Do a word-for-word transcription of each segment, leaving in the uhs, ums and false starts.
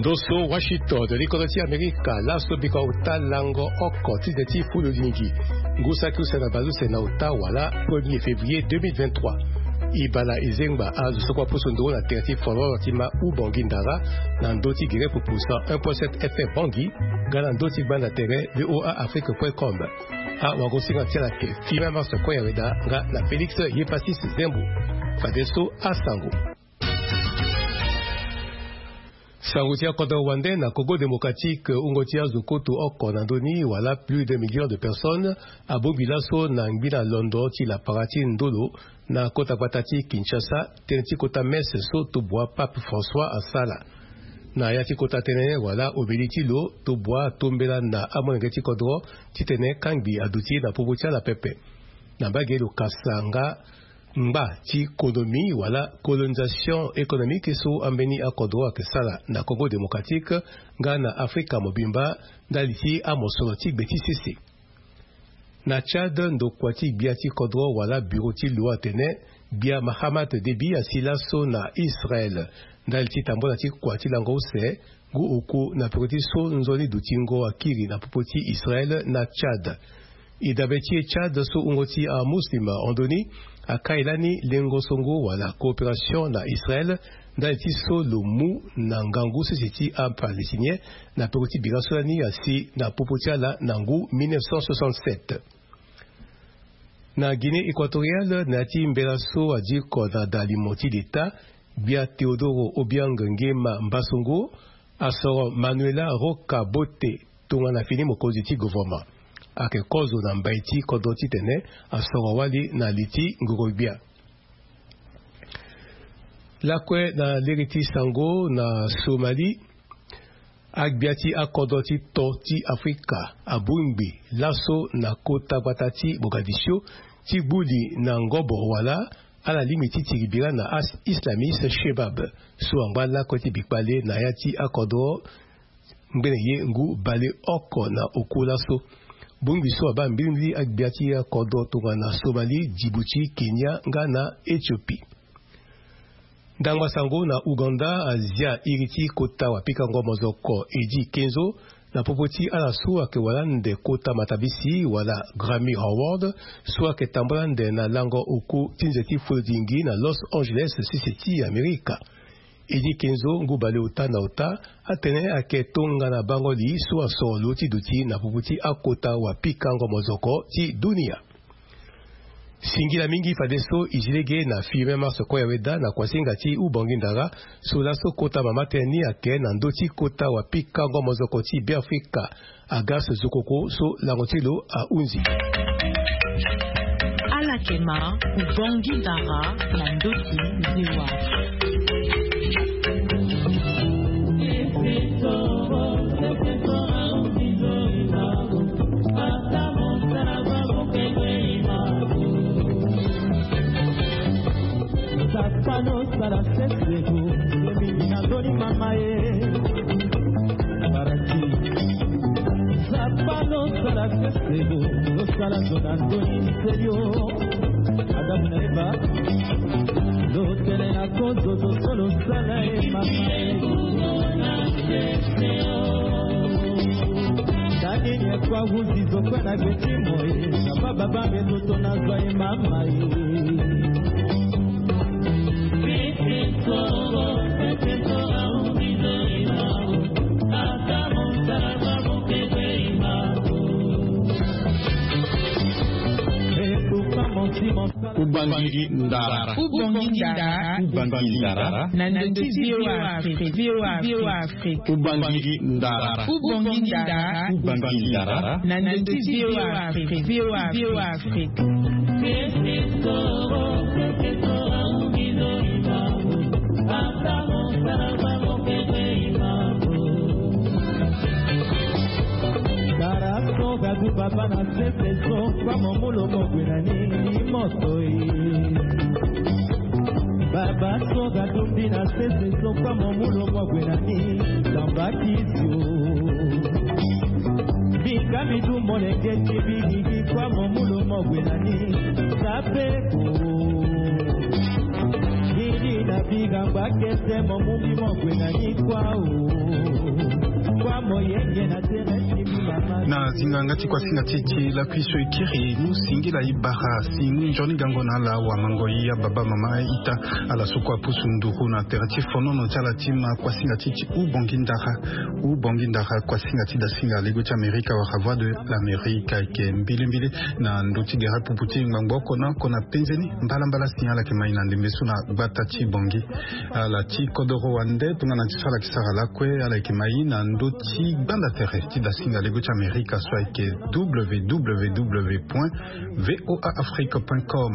Ndo so Washington, likodro ti Amerika, laso bika ota lango oko ti nze ti fulu lingi. Ngu saki use na baleuse na ota wala premier février deux mille vingt-trois. E bala e zengba azo so kue apusu nduru na tere ti folklore ti ma Ubongi Ndara, na ndö ti gere pupu cent un point sept F M Bangui, nga na ndö ti gbanda tere V O A Afrique point com. Awagosinga ti ala ayeke Firmin Mars Koyaweda nga na Félix Yepasis Zembo. Fadeso asango. Sango ti akodro wande na Congo Démocratique, wungo ti azo koto oko na ndö ni wala plus d'un million de personnes abongbi laso na ngbina londo ti lapara ti ndolo na kota gbata ti Kinshasa, tënë ti kota messe so tobua Pape François asala. Na ya ti kota tënë wala obeli ti lo, tobua atombela na amolenge ti kodro titene kangbi aduti na popo ti ala pepe. Na mbage lo kasa nga ngba ti konomi wala colonisation économique so ambeni akodro ayeke sala na Congo Démocratique nga na Afrika mobimba ndali ti amosoro ti gbe ti sese. Na Tchad, ndokua ti gbia ti kodro wala bureau ti lo atene gbia Mahamat Déby asi laso na Israël ndali ti tambola ti kua ti lango use ngu oku na peko ti so nzoni dutingo akiri na popo ti Israël na Tchad. E dabe ti e Tchad so wungo ti amuslim ahon ndoni akai lani lengo songo wala coopération na Israël ndali ti so lo mu na ngangu sese ti aPalestinien na peko ti bira so lani asi na popo ti ala na ngu mille neuf cent soixante-sept. Na Guinée équatoriale, na ya ti mbela so adiko na dalimo ti leta, gbia Teodoro Obiang Nguema Mbasogo asoro Manuela Roca Bote tongana fini mokonzi ti gouvernement. Ayeke kozo na mbai ti kodro titene asoro wali na li ti ngoro-gbia. Lakue na lege ti sango na Somalie, agbia ti akodro ti to ti Afrika abongbi laso na kota gbata ti Mogadiscio ti gbu li na ngobo wala ala lingbi ti tiri bira na as-, islamiste Shebab so angba lakue ti bikpale na ya ti akodro ngbene ye ngu bale oko na oku laso. Bongbi so abaa mbilimbili agbia ti akodro tongana Somalie, Djibouti, Kenya nga na Éthiopie. Ndangba sango na Ouganda azia iri ti kota wapikango mozoko Eddy Kenzo na popo ti ala so ayeke wara ande kota matabisi wala Grammy Award so ayeke tambula ande na lango oku ti nze ti folodingi na Los Angeles, sese ti Amerika. Eddy Kenzo, ngu baleota na ota, atene ayeke tongana bango li so asoro lo ti duti na popo ti akota wapikango mozoko ti dunia. Singila mingi fadeso e zi lege na Firmin Mars Koyaweda na kuasinga ti Ubongi Ndara so laso kota mama tënë ni ayeke na ndö ti kota wapikango mozoko ti Beafrika, Agas Zokoko so lango ti lo ahunzi. Ala yeke ma Ubongi Ndara na ndö ti V O A. Sala seseko, ye mingi na ndoni mama ye. Baraki. Sala seseko, losala zo na ndoni nselio. Adamu na Eva. Lotele na kozo zo so losala ye mama ye. Dani nye kwa wuzi zo kwe na geti moye. Baba bambe toto na zwa ye mama ye. Ubangiri ndara. Ubangiri ndara. Ubangiri ndara. Na ndö ti V O A Afrique. V O A Afrique. Ubangiri ndara. Ubangiri ndara. Ubangiri ndara. Na ndö ti V O A Afrique. V O A Afrique. Dara so gadu baba na sese so kwa momulo mogwe na ni ni moto e. Baba so gadu mbi na sese so kwa momulo mogwe na ni tamba kisio. Bika midu molenge ti bigigi kwa momulo mogwe na ni. Sapeko. Gigi na biga Bakete mo mubi mo gwe na ni kwa o. Kwa mo yenge na tere ti mama. Na zinga nga ti kuasinga ti ti lakui so e kiri mu singila e bara si mu nzoni gango na ala wamango i ababa mama a-ita. Ala so kue apusu nduru na tere ti fonono ti ala ti ma kuasinga ti ti Ubongi ndara. Ubongi ndara kuasinga ti dasinga lego ti Amerika wala Voix de l'Amérique ayeke mbilimbili na ndö ti gere pupu ti ngbangbo oko na oko na penze ni. Mbalambala si ala yeke ma e na ndembe so na gbata ti Bongi. Ala ti kodoro wande tongana ti so ala yeke sara lakue ala yeke ma e na ndö ti gbanda tere ti dasinga lego ti Amerika so ayeke www point voa afrique point com.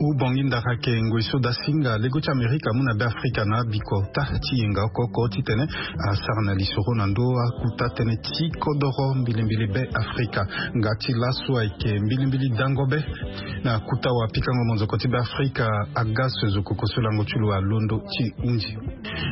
Ubongi ndara ayeke ngoi so dasinga lego ti Amerika amu na Beafrika na bikota ti yenga oko oko titene asara na lisoro na ndö akuta tënë ti kodoro mbilimbili Beafrika. Nga ti laso ayeke mbilimbili dango be na kuta wapikango monzoko ti Beafrika, Agas Zokoko so lango ti lo alondo ti hunzi.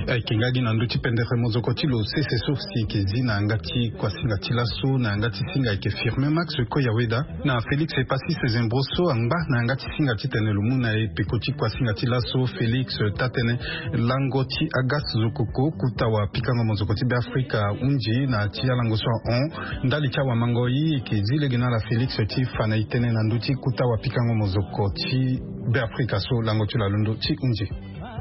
Ayeke nga gi na ndö ti pendere monzoko ti lo sese so si eke zi na yanga ti kuasinga ti laso na yanga ti singa ayeke Firmin Max Koyaweda na Félix Epassis Zembro so angba na yanga ti singa titene lo mu na e peko ti kuasinga ti laso. Félix taa-tënë, lango ti Agas Zokoko kuta wapikango monzoko ti Beafrika hunzi na ti alango so ahon ndali ti awamango i eke zi lege na ala Félix ti fa na e tënë na ndö ti kuta wapikango monzoko ti Beafrika so lango ti lo alondo ti hunzi.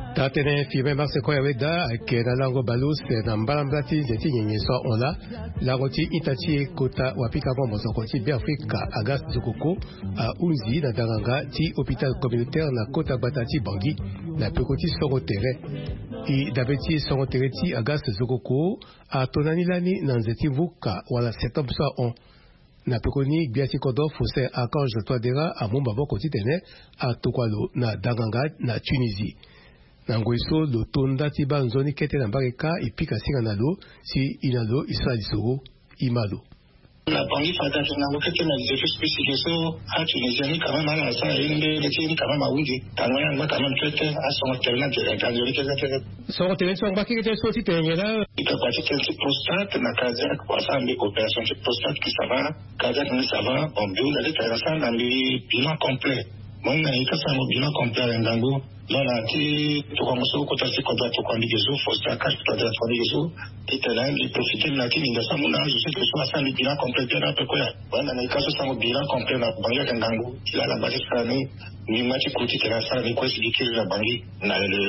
Taa-tënë Firmin Max Koyaweda ayeke na lango baleuse na mbalambala ti nze ti nyenye so ahon laa. Lango ti ita ti e kota wapikango monzoko ti Beafrika Agas Zokoko ahunzi na danganga ti hôpital communautaire na kota gbata ti Bangui na peko ti songo tere. E dabe ti songo tere ti Agas Zokoko ato na ni lani na nze ti vuka wala septembre so ahon. Na pekoni gbia ti kodro Faustin Archange Touadéra amu maboko titene atokua lo na danganga na Tunisie. Na ngoi so lo to nda ti baa nzoni kete na mbage kâ e pika singa na lo si e na lo e sara lisoro. E ma lo. Na Bangui fade ayeke ngangu kete na nze ti spécifique so aTunisien ni quand même ala sara ye mbele ti ye ni quand même ahunzi. Tanga ni angba quand même kete, asongo tene ni ake ga nzoni kete kete. Songo tene ni so angba kete so titene nyen laa? Ita kua ti tene ti prostate na cardiaque kua asara mbi opération ti prostate qui ça va, cardiaque ni ça va. Bon, mbi hunda ti tene asara na mbi bilan complet. Mo hinga na ye ti asango bilan complet ayeke ngangu. Mo na ti tokongo so kota ti kodro atokua mbi ge so, Faustin Archange Touadéra atokua mbi ge so titene mbi profite na ti nginza so amu na azo so eke so asara mbi bilan complet bien ape kue ya. Wala na ye ka so sango bilan complet na Bangui ayeke ngangu. Ti laa ala ngba ti sara ni. Mbi ngba ti ku titene asara ni kue si mbi kiri na Bangui na le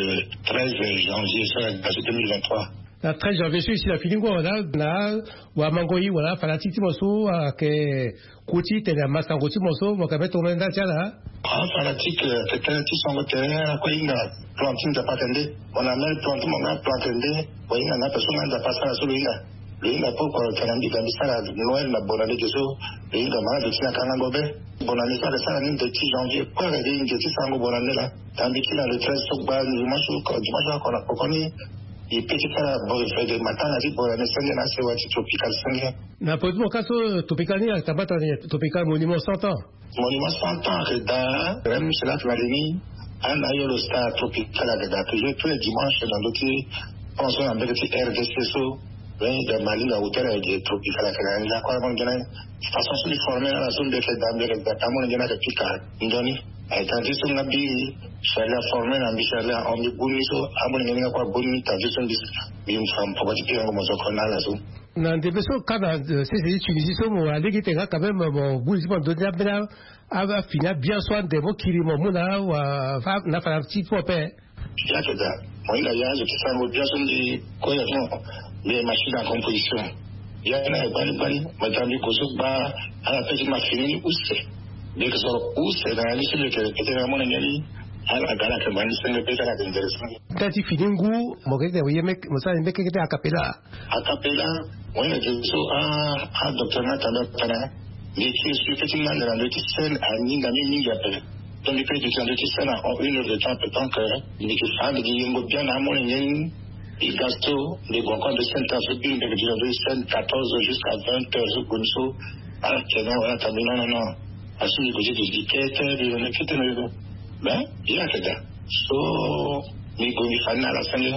treize janvier so ayeke ga so deux mille vingt-trois. Na treize janvier so e si na fini ngu awe na wamango i wala afanatique ti mo so ayeke ku titene amasango ti mo so mo yeke mbeni tongana ndali ti ala. Afanatique, euh, tene ti songo tene ala kue ahinga plan ti Nzapa atene nde. Mo na même plan ti mo nga plan atene nde. Mo hinga na ape so nga Nzapa asara so lo hinga. Lo hinga pourquoi lo tene na mbi ga mbi sara Noël na bonane ge so. Lo hinga ma na zo ti na kangango be. Bonane so ayeke sara ni nde ti janvier kue ayeke gi nze ti sarango bonane laa. Na mbi ti na le treize so gba dimanche so, dimanche so oko na pokoni. E pe ti sara bo fede matanga ti bonane senge na asewa ti tropical senge. Na peko ti mo ka so tropical ni ayeke tambata ni tropical monument cent ans. Monument cent ans ayeke daa. Même cela ti na li ni. Ana yo lo star tropical ayeke daa toujours tous les dimanches na ndö ti pont so na mbege ti R D C so. Lo hinga Mali na hôtel ayeke tropical ayeke na ni la kue amolenge ni. Façon so mbi formé na ala so mbi yeke daa mbi yeke daa ti amolenge ni ayeke pika nzoni. Aye tanga ti so nga mbi Charlie aformé na mbi, Charlie ahon mbi boni so amolenge ni nga kue aboni tanga ti so mbi mbi fa mpoko ti pikango mozoko na ala so. Na ndembe so ka na sese ti Tunisie so mo wara lege ti tene nga quand même mo guli ti mo ndo ti ambeni afini abia so ande mo kiri mo mu na afa na afa na ti fo ape. Ya ayeke daa. Mo hinga ya azo ti sarango bia so mbi kue ya ti mo. Mbi machine à composition. Ya ni ayeke gbani gbani. Mo tanga mbi ko so gba ala pe ti ma fini ni use. Mbi yeke soro use na ya ni so mbi yeke répété na amolenge ni. Ala ga ala yeke ma ni senge be ti ala yeke ndere senge. Nda ti fini ngu mo yeke tene mo ye meke mo sara ni meke kete a cappella. A cappella. Mo hinga ge so a docteur ni atanga atene. Mbi yeke expliqué ti nga ande na ndö ti scène aninga ni mingi ape. Donc mbi pe duti na ndö ti scène en une heure de temps ape, donc mbi yeke fa mbi yeke yengo bien na amolenge ni. Mbi ga so mbi gue encore na ndö ti scène tard so biri mbi yeke duti na ndö ti scène quatorze heures jusqu'à vingt heures so gue ni so. Ala tene wala atene mbi non non non. Asu mbi gue ti duti kete mbi yeke kete na yo. Mais ye ayeke daa. So mbi gue mbi fa ni na ala senge.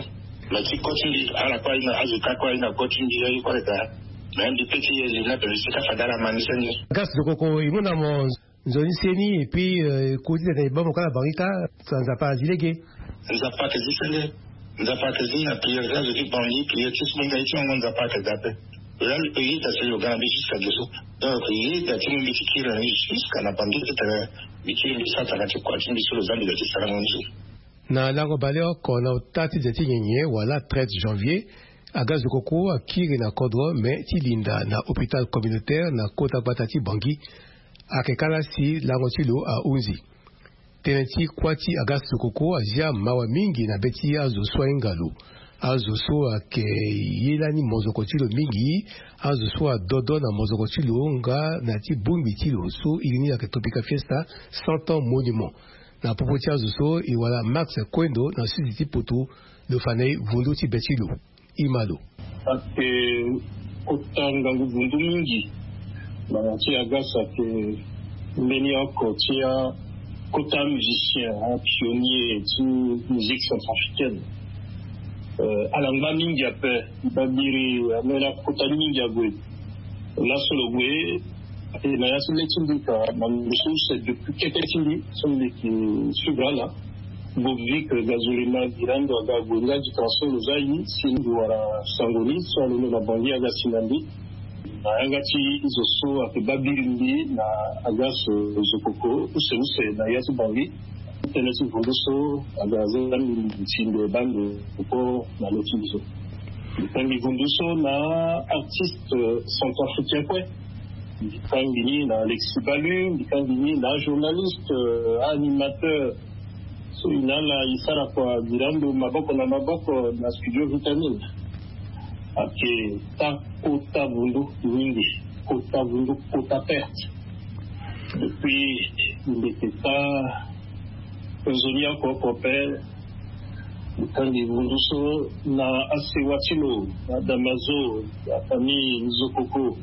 Mais ti go ti mbi ala kue ahinga azo ka kue ahinga go ti mbi aye kue ayeke daa. Mais mbi pe ti ye li ni ape mbi sika fade ala ma ni senge. Gas Zokoko e mu na mo nzoni seni et puis e ku titene e baa mo kâ na Bangui kâ. Nzapa azi lege. Nzapa ayeke zi senge. Nzapa ayeke zi na prière ti azo ti Bangui, prière ti so mo hinga ye ti ngangu, Nzapa ayeke zi ape. Lo yeda si lo ga na mbi jusqu'à Guesso. Donc lo yeda ti mu mbi ti kiri na ni jusqu'à na Bangui ti tene mbi kiri mbi sara tanga ti kua ti mbi so lo za mbi lo ti sarango ni so. Na lango baleoko na ota ti de ti nyenye wala treize janvier, aga zokoko akiri na kodro me ti linda na hôpital communautaire na kota gbata ti Bangui. Ayeke kâ la si lango ti lo ahunzi. Tënë ti kuâ ti aga zokoko azia mawa mingi na be ti azo so ahinga lo. Azo so ayeke ye lani mozoko ti lo mingi, azo so adodo na mozoko ti lo nga na ti bongbi ti lo so iri ni ayeke Tropical Fiesta, cent ans monument. Na popo ti azo so e wara Max Kuendo na sudi ti poto, lo fa na e vundu ti be ti lo. Ima lo. Ayeke kota ngangu vundu mingi. Ngbanga ti Agas ayeke mbeni oko ti akota musicien, apionnier ti musique centrafricaine. Euh, ala ngba mingi ape. Babiri ameni akota mingi ague. Laso lo gue, e na ya ti le ti mbi ka na ndo so use depuis keke ti mbi so mbi yeke suivre ala. Bovic Gazolema Girando aga ague nga gi transport lo za ye si mbi wara sango ni so alondo na Bangui aga si na mbi. Na yanga ti zo so ayeke babiri mbi na aga so zokoko use use na ya ti Bangui. Tënë ti vundu so aga za mbi si mbi baa mbi koko na lo ti mbi so. Mbi kangbi vundu so na artiste centrafricain kue. Mbi kangbi ni na Alexis Balu, mbi kangbi ni na ajournaliste, euh, animateur. So e na ala e sara kua Girando maboko na maboko na studio Vitamine. Ayeke ta kota vundu mingi, kota vundu, kota perte. Depuis mbi yeke ta nzoni oko oko ape. Mbi kangbi vundu so na asewa ti lo, na Damazo, na famille Nzokoko.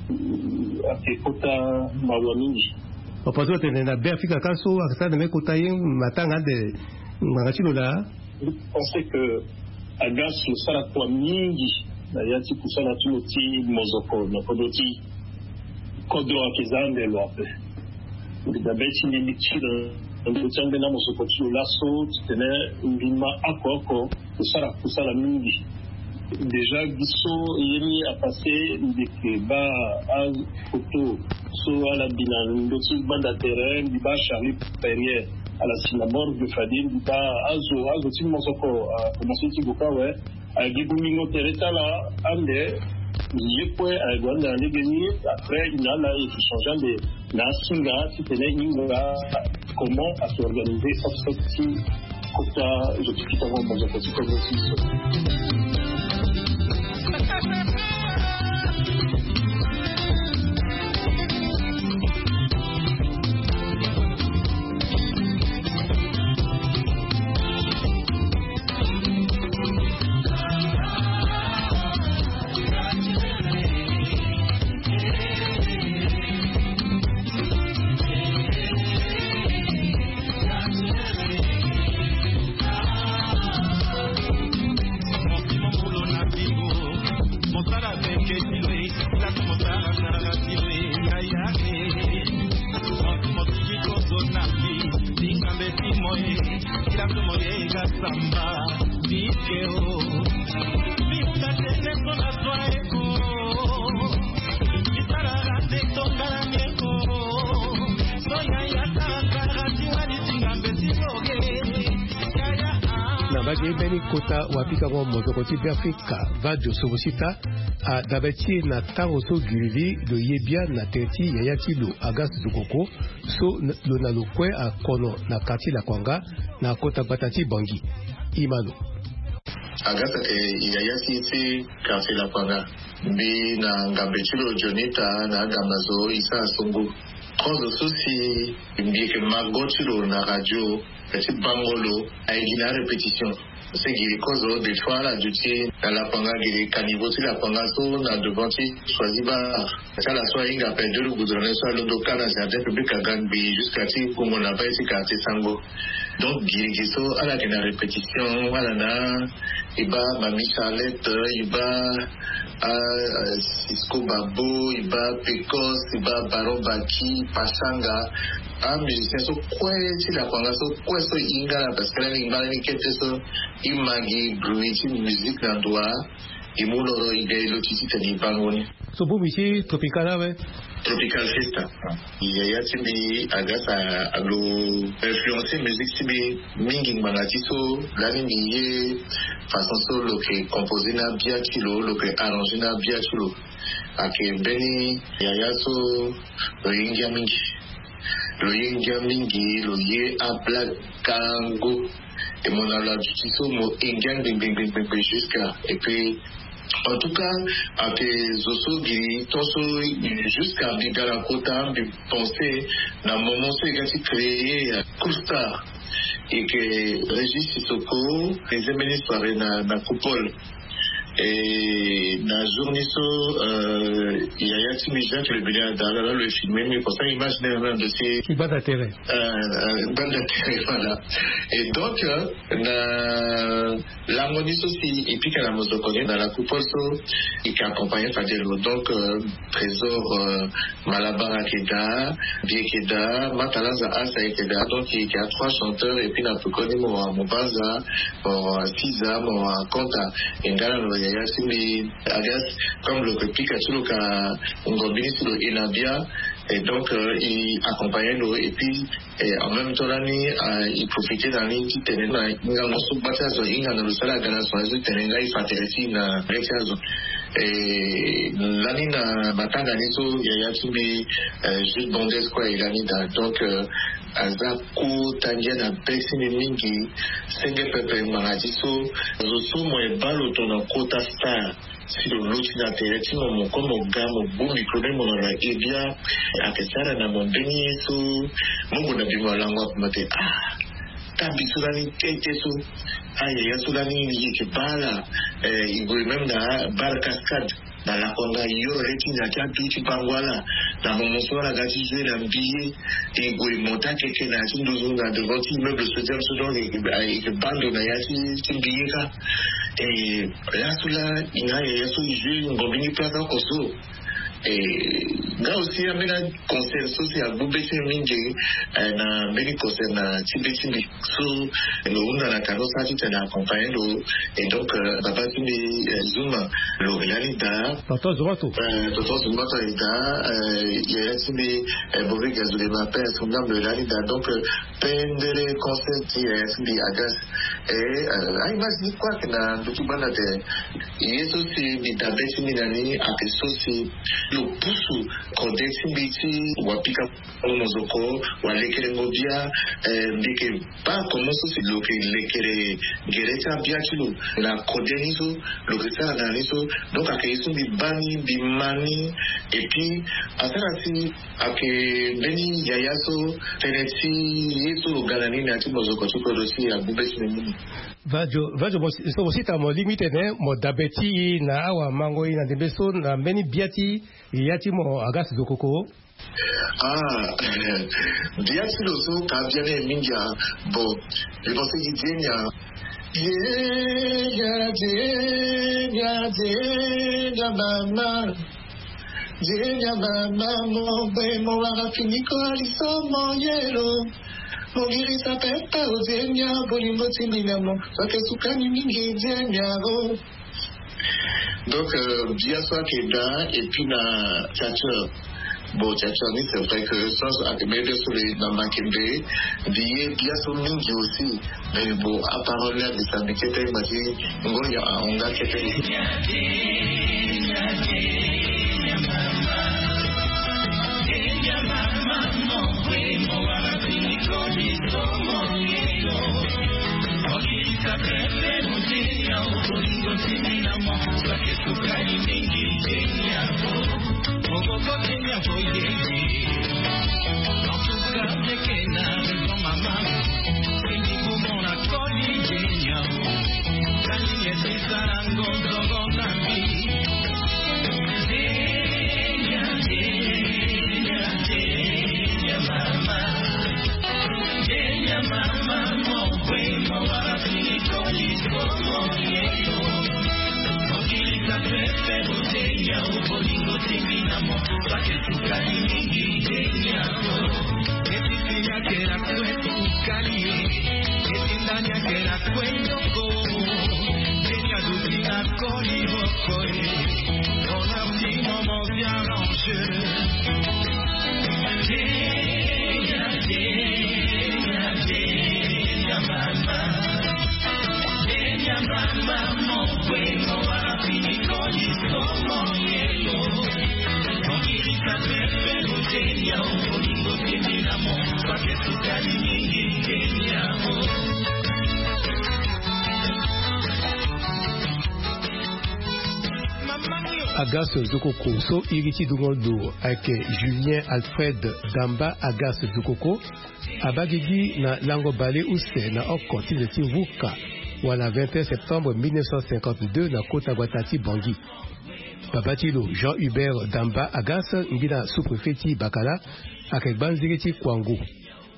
Ayeke kota mawa mingi. Papa so atene na Beafrika ka so ayeke sara na me kota ye matanga ande ngbanga ti lo laa. Mbi pense que Agas lo sara kua mingi na ya ti kusala ti lo ti mozoko na kodro ti kodro ayeke za ande lo ape. Mbi dabe ti mbi mbi ti na ndö ti ambeni amosoko ti lo laso titene mbi ma oko oko. Kusala kusala mingi. Déjà gi so ye ni apasse mbi yeke baa afoto so ala bi na ndö ti gbanda terrain, mbi baa Charlie Perrier ala si na morgue fade, mbi baa azo azo ti mosoko akomanse ti gue kâ awe. Agi bongbingo tere ti ala ande. Ye kue ague ande na lege ni. Après e na ala e yeke changer ande na asinga titene e hinga comment a s'organiser offset ti kota zo ti kitango mozoko ti kongo ti so. Na mbage mbeni kota wapikango mozoko ti Beafrika, Vadio Sobosita, adabe ti e na tango so girivi lo ye bia na tere ti yaya ti lo Agas Zokoko, so lo na lo kue akono na quartier Lakwanga na kota gbata ti Bangui. Ima lo. Agas ayeke yaya ti e ti quartier Lakwanga. Mbi na ngambe ti lo Jonita na agamba zo e sara songo. Kozo so si mbi yeke ma go ti lo na radio, ti bango lo aye gi na arépétition. Si giri kozo des fois ala duti na Lakwanga, giri caniveau ti Lakwanga so na devant ti Choisy Bar. Ti ala so ahinga ape de lo goudronner so alondo kâ na jardin public aga ngbii jusqu'à ti gongo na bai ti quartier Sango. Donc giri gi so ala yeke na répétition, ala na e baa Mamie Charlette, e baa, ah, Cisco Babo, e baa Pecos, e baa Baron Baki, Pachanga. Amusicien so kue ti lakua nga so kue so e hinga na, parce que lani e ngba lani kete so e ma gi bruit ti musique na ndo wa. E mu loro e ga e loti titene e bango ni. So bongbi ti Tropical awe. Tropical Fiesta. Yaya ti mbi aga sa alo influencer musique ti mbi mingi ngbanga ti so lani mbi ye façon so lo ke composer na bia ti lo, lo ke arranger na bia ti lo. Ayeke mbeni yaya so lo ye ngia mingi. Lo ye ngia mingi, lo ye ablague kango. E mo na lo aduti so mo ye ngia ngbengbengbengbe jusqu'à. Et puis en tout cas, ayeke zo so gi tonso jusqu'à mbi ga na kota mbi pense na moment so e ga ti créer Cool Star. Ayeke Régis Sissoko, e zembeni soirée na, na Coupole. Et na jour ni so, euh, yaya ti mbi Jacques Le Billard da ala lo e filmer mbi comme ça image ni na ndo si. Banda tere. Euh, euh, banda tere, voilà. Et donc, euh, na lango ni so si e pika na mozoko ni na la Coupole so, e ke accompagner fade lo. Donc, euh, Trésor, euh, Malabar ayeke daa, Bi ayeke daa, Matalanza Asa ayeke daa. Donc e yeke a trois chanteurs, et puis na peko ni mo wara Mobanza, mo wara Siza, mo wara Konta. E nga na lo yaya ti mbi Agas, comme lo yeke pika ti lo ka ngombi ni si lo ye na bia. Et donc, euh, e accompagner lo, et puis, et en même temps lani, euh, e profiter na ni titene na hingango so gba ti azo e hinga na lo si ala ga na son azo titene nga e fa tere ti e na le ti azo. Et lani na matanga ni so yaya ti mbi, euh, Jude Bondes kue aye lani daa. Donc, euh, aza kota ngia na be ti mbi mingi. Senge pepe ngbanga ti so, zo so mo ye baa lo tongana kota star, si lo luti na tere ti mo, mo kue mo ga mo bu micro ni mo na lo e bia. Ayeke sara na mo mbeni ye so mo gue na bi mo lango ape mo te ah. Tabi so lani tete so, ayaya so lani e yeke baa ala, eh, e gue même na Bar Cascade. Na lakua nga e yoro le ti ndia ti adu ti bango ala. Na moment so ala ga ti jouer na mbi ye, e gue e monter akeke na ya ti nduzu na devant ti immeuble Sodium so, donc e, e, e ke baa ndo na ya ti, ti mbi ye kâ. E laso laa e nga yaya so e jouer ngombi ni place oko so. E nga aussi ambeni concert so si agbu be ti mbi mingi, eh, na mbeni concert na ti be ti mbi. So lo hunda na kano sara titene accompagner lo. Et donc, euh, baba ti mbi, euh, Zuma, lo yeke lani daa. Tonton Zuma to. Euh, tonton Zuma to ayeke daa, euh, yaya ti mbi, euh, Bové Gazoulet, ma père, son âme, lo yeke lani daa. Donc, euh, pendere concert ti yaya ti mbi Agas. Et, euh, a-image ni kue ayeke na ndutu gbanda te. Ye so si mbi dabe ti mbi na ni ayeke so si lo pusu kode ti mbi ti wapika. Mozoko wala lekerengo bia, eh, mbi yeke baa comment so si lo yeke lekere gere ti abia ti lo na kode ni so lo yeke sara na ni so. Donc ayeke ye so mbi baa ni, mbi ma ni. Et puis asara si ayeke mbeni yaya so tënë ti ye so lo ga na ni na ya ti mozoko ti kodro si agbu be ti mbi mingi. Vadio, vadio mo si, so mo si tara mo lingbi tene mo dabe ti e na awamango e na ndembe so na mbeni bia ti e ya ti mo Agas Zokoko. Ah, bia ti lo so ka bia ni mingi a. Bon, je pense que Dienya. Dienya, Dienya, Dienya mama. Dienya mama, mo gbe mo wara fini ko aliso mo yelo. Mo girisa pepe o Dienya, bolingo ti mbi na mo. Wake sukani mingi Dienya o. Donc, euh, bia so ayeke daa, et puis na tchatcheur. Bon, tchatcheur ni, c'est vrai que so ayeke mbeni bia so lo ye na makembe. Mbi ye bia so mingi aussi. Mais bon, aparole ni agbisa mbi kete, mbi ti ngonyo ahon nga kete. Agas Zokoko so iri ti dungo lo ayeke Julien Alfred Damba Agas Zokoko, abaa gigi na lango bale use na oko ti nze ti vuka wala vingt et un septembre mille neuf cent cinquante-deux na kota gbata ti Bangui. Baba ti lo, Jean Hubert Damba Agas, ngbina sous-préfet ti Bakala, ayeke gbanziri ti Kouangou.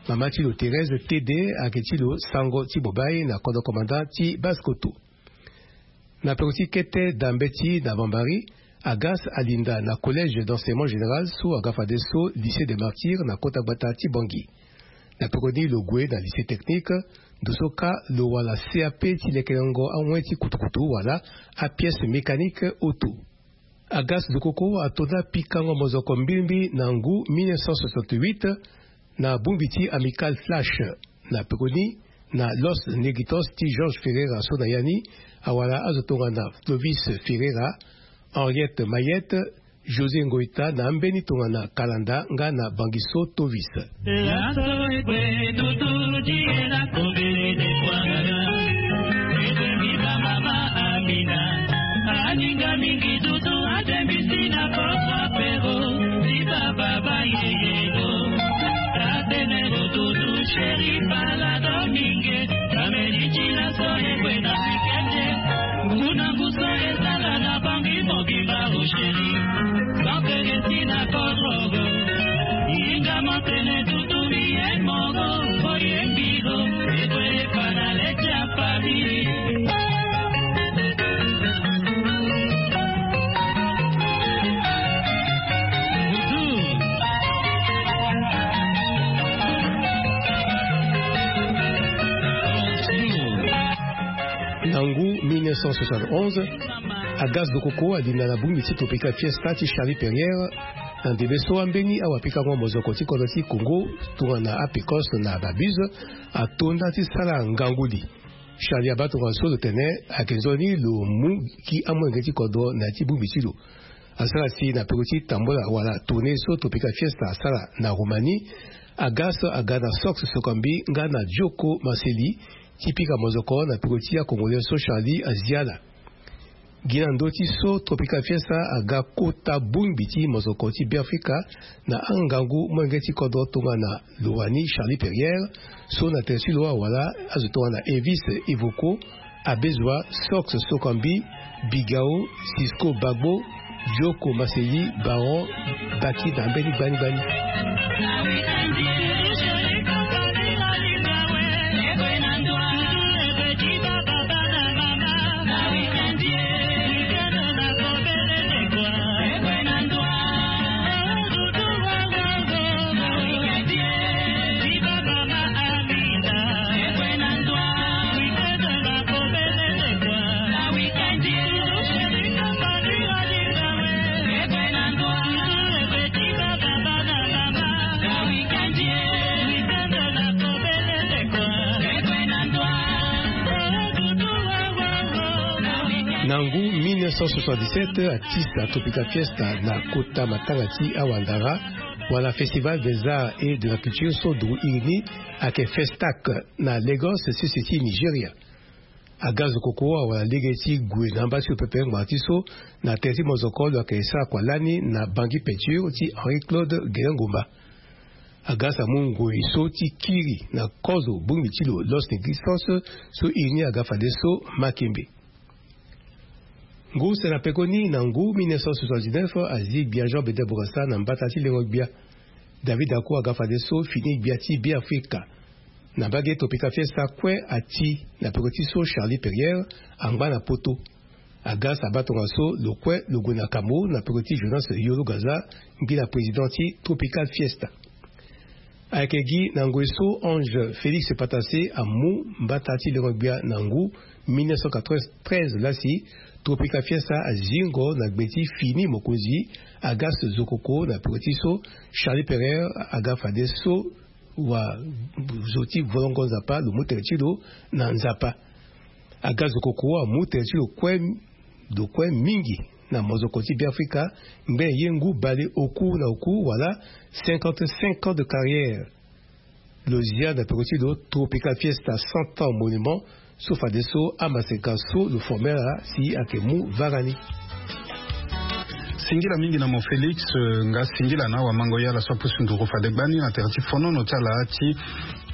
Mama ti lo, Thérèse Tede, ayeke ti lo sango ti Bobaye na kodro commandant ti Basse-Kotto. Na peko ti kete dambeti na Bambari, Agas alinda na collège d'enseignement général so aga fadeso lycée des Martyrs na kota gbata ti Bangui. Na peko ni lo gue na lycée technique, ndo so kâ lo wara C A P ti lekerengo awen ti kutukutu wala apièce mécanique auto. Agas Zokoko ato na pikango mozoko mbirimbi na ngu mille neuf cent soixante-huit na bongbi ti Amical Flash. Na peko ni, na Los Negritos ti Georges Ferreira so na ya ni awara azo tongana Clovis Ferreira, Henriette Mayette, José Ngoïta na ambeni tongana Kalanda nga na Bangiso Tovis. Laso egbe dudu di e na kombele de kwangana. Egbe mi ba mama Amina. Aninga mingi dudu adembisi na poko apero. Di baba ba yeyego. Tatenero dudu sheri pala domingue. Kameri ti laso egbe na weekend. Ngu na ngu so ezala na Bangui mobimba, oh chéri. Bapelesi na kodro. Yinga motene tutu mi ye mongo, oye mbilo, eko ye pana leti ya famille. Na ngu mille neuf cent soixante-onze, Agas Zokoko alinda na bongbi ti Tropical Fiesta ti Charlie Perrier. Na ndembe so ambeni awapikango mozoko ti kodro ti Congo tongana Apecos na Babuse ato nda ti sara ngangu li. Charlie abaa tongana so lo tene ayeke nzoni lo mu gi amolenge ti kodro na ya ti bongbi ti lo. Asara si na peko ti tambula wala tournée so Tropical Fiesta asara na Roumanie, Agas aga na Sox Sokambi nga na Joko Marcelli ti pika mozoko na peko ti acongolais so Charlie azia ala. Gi na ndö ti so Tropical Fiesta aga kota bongbi ti mozoko ti Beafrika na angangu molenge ti kodro tongana lo wani Charlie Perrier, so na tere ti lo awara azo tongana Elvis Evoco, Abezua, Sox Sokambi, Bigao, Cisco Bagbo, Joko Marcelli, Baron, Baki na mbeni gbani gbani. Na ngu mille neuf cent soixante-dix-sept, artiste ya Tropical Fiesta na kota matanga ti awandara, wala Festival des Arts et de la Culture so duru iri ni ayeke Festac na Lagos, sese ti Nigeria. Agas Zokoko awara lege ti gue na amba ti lo pepe ngbanga ti so na tere ti mozoko lo yeke sara kua lani na Bangui Peinture ti Henri Claude Gelengomba. Agas amu ngoi so ti kiri na kozo bongbi ti lo Los Negritos so iri ni aga fadeso Makembe. Ngu use na pekoni na ngu mille neuf cent soixante-dix-neuf azi gbia Jean Bedel Bokassa na mbata ti lengo gbia. David Ako aga fadeso fini gbia ti Beafrika. Na mbage Tropical Fiesta kue ati na peko ti so Charlie Perrier angba na poto. Agas abaa tongaso lo kue lo gue na Cameroun na peko ti Jonas Yolo Gaza, ngbila président ti Tropical Fiesta. Ayeke gi na ngoi so Ange Félix Patassé amu mbata ti lengo-gbia na ngu mille neuf cent quatre-vingt-treize laa si Tropical Fiesta azingo na gbe ti fini mokonzi Agas Zokoko na peko ti so Charlie Pereire aga fade so wa zo ti volongo Nzapa lo mu tere ti lo na Nzapa. Aga Zokoko amu tere ti lo kue, lo kue mingi na mozoko ti Beafrika ngbene ye ngu bale oku na oku wala cinquante-cinq ans de carrière. Lo zia na peko ti lo Tropical Fiesta cent ans monument so fadeso amaseka so lo formé ala si ayeke mu vara ni. Singila mingi na mo Félix, eh, nga singila na awamango ye ala so apusu nduru fade gbani na tere ti fonono ti ala ti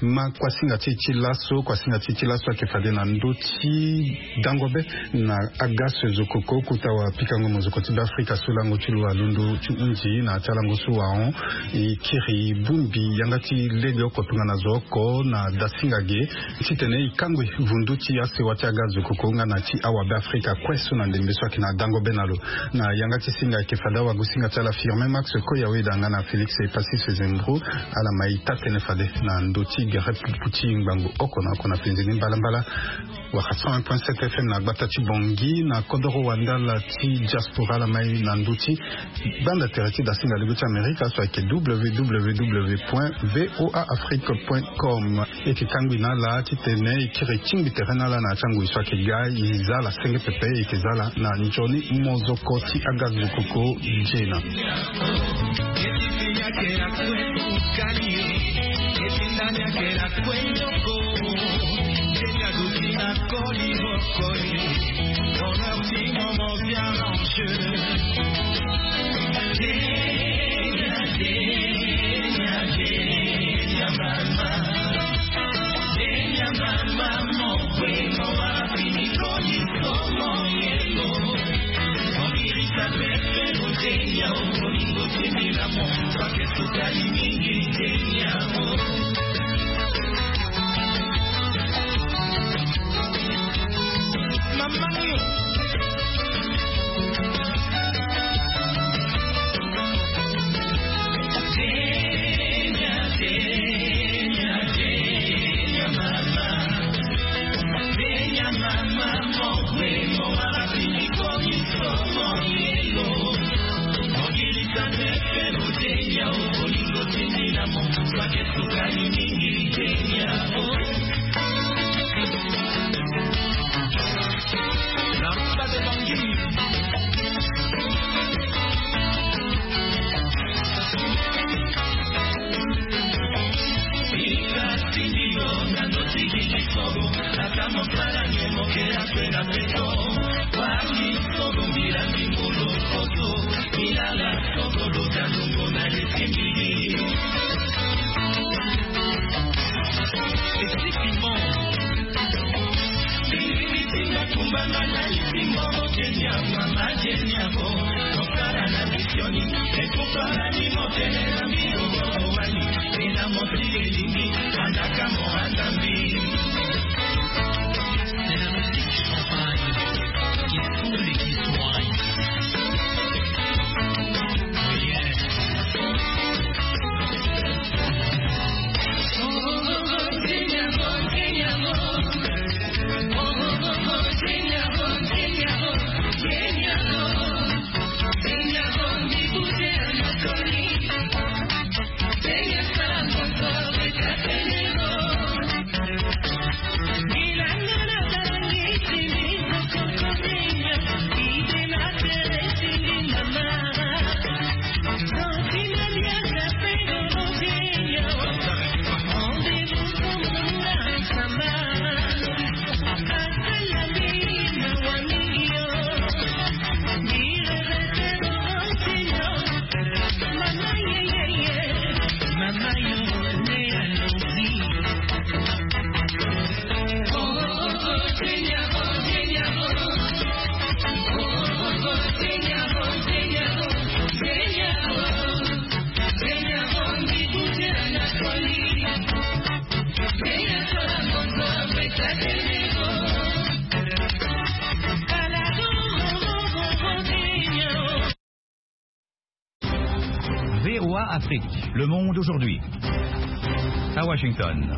ma kuasinga ti e ti laso. Kuasinga ti e ti laso ayeke fade na ndö ti dango be na Agas Zokoko, kota wapikango mozoko ti Beafrika so lango ti lo alondo ti hunzi na ya ti alango so wahon. E kiri bongbi yanga ti legeoko tongana zo oko na dasinga ge titene e kangbi vundu ti asewa ti Agas Zokoko nga na ti awabeafrika kue so na ndembe so ayeke na dango be na lo. Na yanga ti singa ayeke fade awagosinga ti ala Firmin Max Koyaweda nga na Félix Epassis Zembro, ala ma e taa-tënë fade na ndö ti gere pupu ti ngbangbo oko na oko na penze ni mbalambala. Wala cent un point sept F M na gbata ti Bangui, na kodoro wandala ti diaspora, ala ma e na ndö ti banda tere ti dasinga lege ti Amerika so ayeke W W W point V O A Afrique point com. E yeke kangbi na ala titene e kiri tingbi tere na ala na ya ti angoi so ayeke ga. E za ala senge pepe, e yeke za ala na nzoni mozoko ti Agas Zokoko. Gena. V O A Afrique, le monde aujourd'hui. À Washington.